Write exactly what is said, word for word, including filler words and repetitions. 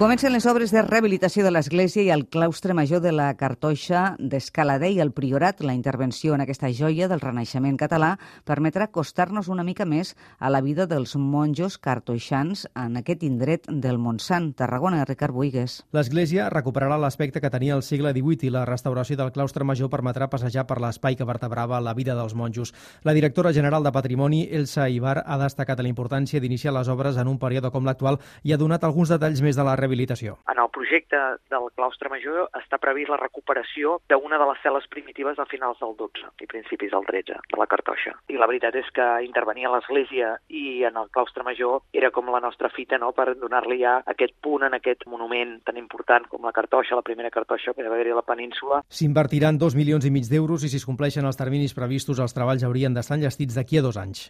Comencen les obres de rehabilitació de l'església i el claustre major de la Cartoixa d'Escaladei al Priorat. La intervenció en aquesta joia del Renaixement català permetrà acostar-nos una mica més a la vida dels monjos cartoixans en aquest indret del Montsant. Tarragona, Ricard Buigues. L'església recuperarà l'aspecte que tenia al segle divuit i la restauració del claustre major permetrà passejar per l'espai que vertebrava la vida dels monjos. La directora general de Patrimoni, Elsa Ibar, ha destacat la importància d'iniciar les obres en un període com l'actual i ha donat alguns detalls més de la rehabilitació. En el projecte del claustre major està previst la recuperació d'una de les cel·les primitives a finals del dotze i principis del tretze, de la Cartoixa. I la veritat és que intervenir a l'església i en el claustre major era com la nostra fita, no?, per donar-li ja aquest punt en aquest monument tan important com la Cartoixa, la primera Cartoixa que va haver-hi a la península. S'invertiran dos milions i mig d'euros i si es compleixen els terminis previstos, els treballs haurien d'estar enllestits d'aquí a dos anys.